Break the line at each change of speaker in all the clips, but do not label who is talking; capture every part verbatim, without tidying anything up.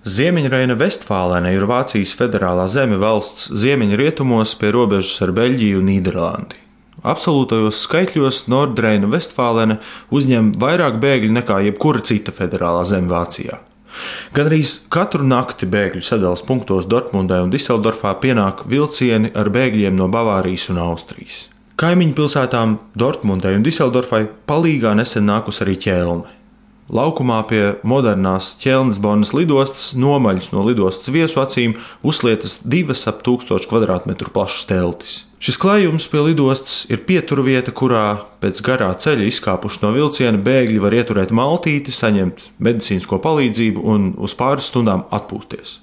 Ziemeļreina-Vestfālene ir Vācijas federālā zeme valsts ziemeļrietumos pie robežas ar Beļģiju un Nīderlandi. Absolūtajos skaitļos Nordreina-Vestfālene uzņem vairāk bēgļu nekā jebkura cita federālā zeme Vācijā. Gandrīz katru nakti bēgļu sadalas punktos Dortmundē un Diseldorfā pienāk vilcieni ar bēgļiem no Bavārijas un Austrijas. Kaimiņu pilsētām Dortmundē un Diseldorfai palīgā nesen nākus arī Ķelne. Laukumā pie modernās Ķelnes-Bonnas lidostas nomaļus no lidostas viesu acīm uzlietas divas ap tūkstošu kvadrātmetru plašas teltis. Šis klājums pie lidostas ir pieturvieta, kurā pēc garā ceļa izkāpuši no vilciena bēgļi var ieturēt maltīti, saņemt medicīnisko palīdzību un uz pāris stundām atpūsties.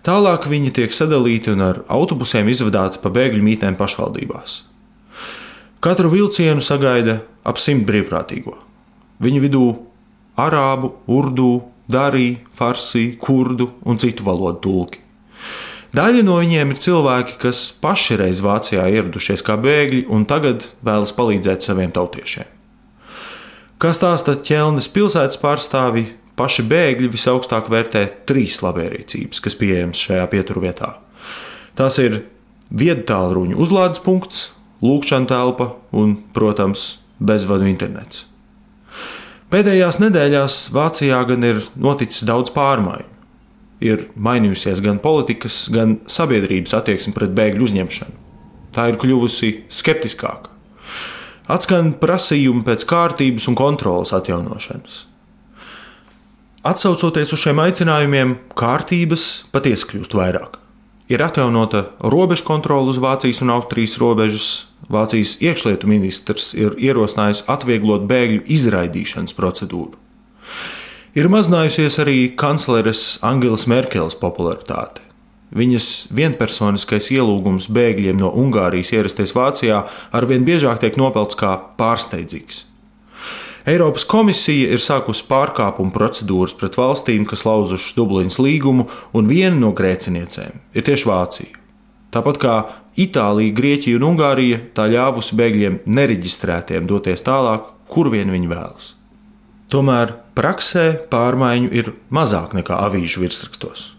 Tālāk viņi tiek sadalīti un ar autobusiem izvadāti pa bēgļu mītnēm pašvaldībās. Katru vilcienu sagaida ap simt brīvprātīgo. Viņu vidū arābu, urdu, darī, farsī, kurdu un citu valodu tulki. Daļa no viņiem ir cilvēki, kas paši reiz Vācijā ieradušies kā bēgļi un tagad vēlas palīdzēt saviem tautiešiem. Kā stāsta Ķelnes pilsētas pārstāvi, paši bēgļi visaugstāk vērtē trīs labierīcības, kas pieejamas šajā pieturvietā. Tās ir viedtālruņu uzlādes punkts, lūkšana telpa un, protams, bezvadu internets. Pēdējās nedēļās Vācijā gan ir noticis daudz pārmaiņu. Ir mainījusies gan politikas, gan sabiedrības attieksme pret bēgļu uzņemšanu. Tā ir kļuvusi skeptiskāka. Atskan prasījumi pēc kārtības un kontroles atjaunošanas. Atsaucoties uz šiem aicinājumiem, kārtības patiesi kļūst vairāk. Ir atjaunota robežu kontrole uz Vācijas un Austrijas robežas. Vācijas iekšlietu ministrs ir ierosinājis atvieglot bēgļu izraidīšanas procedūru. Ir mazinājusies arī kancleres Angelas Merkeles popularitāte. Viņas vienpersoniskais ielūgums bēgļiem no Ungārijas ierasties Vācijā arvien biežāk tiek nopelts kā pārsteidzīgs. Eiropas komisija ir sākusi pārkāpumu procedūras pret valstīm, kas lauzušas Dublinas līgumu, un viena no grēciniecēm ir tieši Vācija. Tāpat kā Itālija, Grieķija un Ungārija, tā ļāvusi bēgļiem nereģistrētiem doties tālāk, kur vien viņi vēlas. Tomēr praksē pārmaiņu ir mazāk nekā avīžu virsrakstos.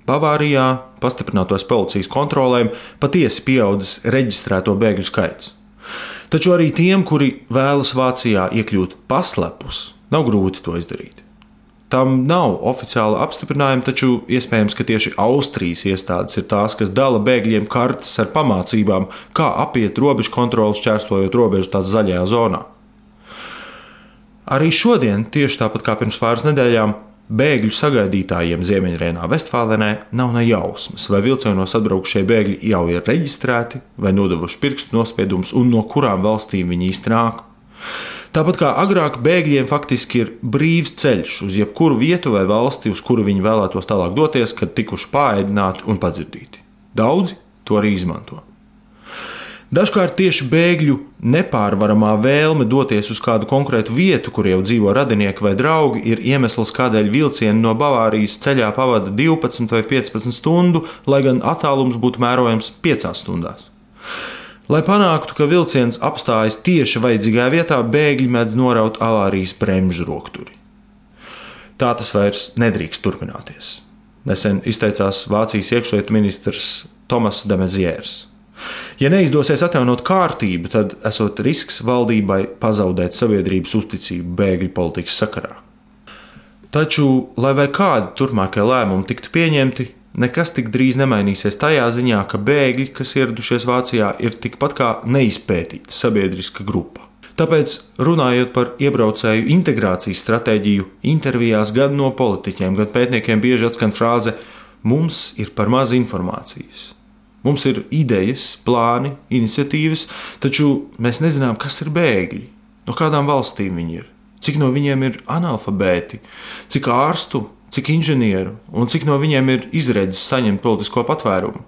Bavārijā pastiprinātos policijas kontrolēm patiesi pieaudzis reģistrēto bēgļu skaits. Taču arī tiem, kuri vēlas Vācijā iekļūt paslepus, nav grūti to izdarīt. Tam nav oficiāla apstiprinājuma, taču iespējams, ka tieši Austrijas iestādes ir tās, kas dala bēgļiem kartes ar pamācībām, kā apiet robežu kontroli, šķērsojot robežu tās zaļajā zonā. Arī šodien, tieši tāpat kā pirms pāris nedēļām, bēgļu sagaidītājiem Ziemeļreinā-Vestfālenē nav ne jausmas, vai vilcienos atbraukušie bēgļi jau ir reģistrēti, vai nodevuši pirkstu nospiedumus un no kurām valstīm viņi īsti nāk. Tāpat kā agrāk bēgļiem faktiski ir brīvs ceļš uz jebkuru vietu vai valsti, uz kuru viņi vēlētos tālāk doties, kad tikuši pāēdināti un padzirdīti. Daudzi to arī izmanto. Dažkārt tieši bēgļu nepārvaramā vēlme doties uz kādu konkrētu vietu, kur jau dzīvo radinieki vai draugi, ir iemesls, kādēļ vilcieni no Bavārijas ceļā pavada divpadsmit vai piecpadsmit stundu, lai gan attālums būtu mērojams piecās stundās. Lai panāktu, ka vilciens apstājas tieši vajadzīgajā vietā, bēgļi mēdz noraut avārijas bremžu rokturi. Tā tas vairs nedrīkst turpināties. Nesen izteicās Vācijas iekšlietu ministrs Tomas de Maizières. Ja neizdosies atjaunot kārtību, tad esot risks valdībai pazaudēt sabiedrības uzticību bēgļu politikas sakarā. Taču, lai vai kādi turpmākie lēmumi tiktu pieņemti, nekas tik drīz nemainīsies tajā ziņā, ka bēgļi, kas ieradušies Vācijā, ir tikpat kā neizpētīta sabiedriska grupa. Tāpēc, runājot par iebraucēju integrācijas stratēģiju, intervijās gan no politiķiem, gan pētniekiem bieži atskan frāze "mums ir par maz informācijas". Mums ir idejas, plāni, iniciatīvas, taču mēs nezinām, kas ir bēgļi, no kādām valstīm viņi ir, cik no viņiem ir analfabēti, cik ārstu, cik inženieru un cik no viņiem ir izredzes saņemt politisko patvērumu,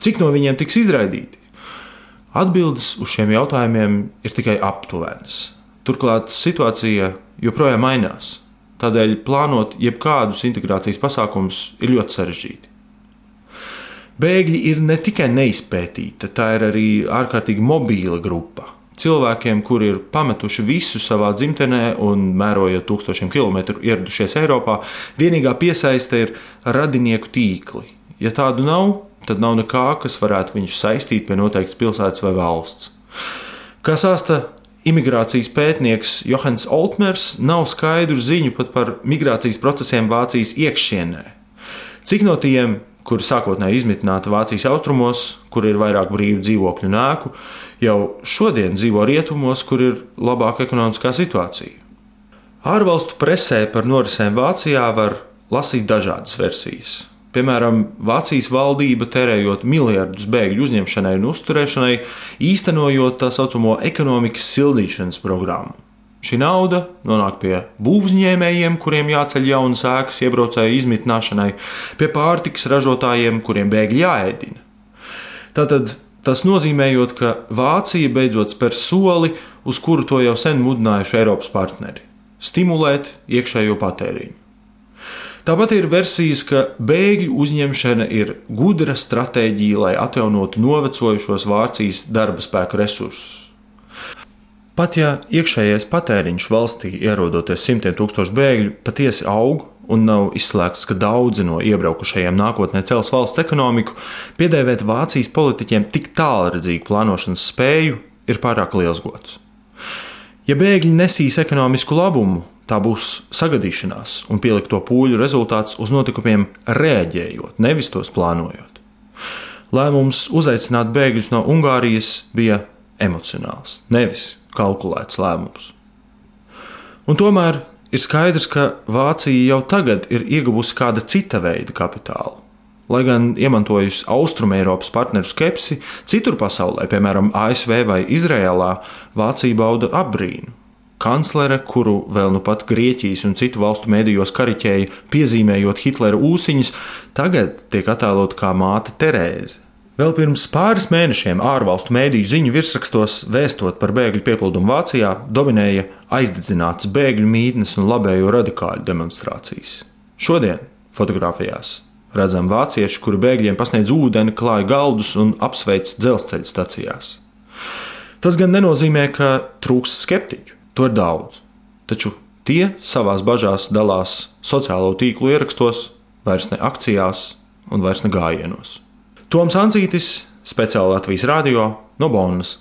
cik no viņiem tiks izraidīti. Atbildes uz šiem jautājumiem ir tikai aptuvenas. Turklāt situācija joprojām mainās, tādēļ plānot jebkādus integrācijas pasākumus ir ļoti sarežģīti. Bēgļi ir ne tikai neizpētīta, tā ir arī ārkārtīgi mobīla grupa. cilvēkiem, kuri ir pametuši visu savā dzimtenē un mērojot tūkstošiem kilometru ieradušies Eiropā, vienīgā piesaiste ir radinieku tīkli. Ja tādu nav, tad nav nekā, kas varētu viņus saistīt pie noteiktas pilsētas vai valsts. Kā stāsta imigrācijas pētnieks Johanns Oltmers, nav skaidru ziņu pat par migrācijas procesiem Vācijas iekšienē. Cik no tiem, kuri sākotnēji izmitināti Vācijas austrumos, kur ir vairāk brīvu dzīvokļu un ēku, jau šodien dzīvo rietumos, kur ir labāka ekonomiskā situācija. Ārvalstu presē par norisēm Vācijā var lasīt dažādas versijas. Piemēram, Vācijas valdība tērējot miljardus bēgļu uzņemšanai un uzturēšanai, īstenojot tā saucamo ekonomikas sildīšanas programmu. Šī nauda nonāk pie būvniecējiem, kuriem jāceļ jaunas ēkas iebraucēju izmitināšanai, pie pārtikas ražotājiem, kuriem bēgļi jāēdina. Tātad tas nozīmējot, ka Vācija beidzot spēr soli, uz kuru to jau sen mudinājuši Eiropas partneri – stimulēt iekšējo patēriņu. Tāpat ir versijas, ka bēgļu uzņemšana ir gudra stratēģija, lai atjaunotu novecojušos Vācijas darba spēka resursus. Pat ja iekšējais patēriņš valstī, ierodoties simtiem tūkstošu bēgļu, patiesi aug un nav izslēgts, ka daudzi no iebraukušajiem nākotnē cels valsts ekonomiku, piedēvēt Vācijas politiķiem tik tālredzīgu plānošanas spēju ir pārāk liels gods. Ja bēgļi nesīs ekonomisku labumu, tā būs sagadīšanās un pielikto pūļu rezultāts uz notikumiem reaģējot, nevis tos plānojot. Lēmums uzaicināt bēgļus no Ungārijas bija emocionāls, nevis kalkulēts lēmums. Un tomēr ir skaidrs, ka Vācija jau tagad ir ieguvusi kāda cita veida kapitālu. Lai gan iemantojusi Austrumeiropas partneru skepsi, citur pasaulē, piemēram, A S V vai Izrēlā, Vācija bauda apbrīnu. Kanclere, kuru vēl nu pat Grieķijas un citu valstu mēdījos kariķēja, piezīmējot Hitlera ūsiņas, tagad tiek attēlot kā māte Terēze. Vēl pirms pāris mēnešiem ārvalstu mēdīju ziņu virsrakstos vēstot par bēgļu pieplūdumu Vācijā dominēja aizdedzinātas bēgļu mītnes un labējo radikāļu demonstrācijas. Šodien fotografijās redzam vācieši, kuri bēgļiem pasniedz ūdeni, klāj galdus un apsveic dzelzceļa stacijās. Tas gan nenozīmē, ka trūkst skeptiķu, to ir daudz, taču tie savās bažās dalās sociālo tīklu ierakstos, vairs ne akcijās un vairs ne gājienos. Toms Ancītis, speciāli Latvijas radio no Bonnas.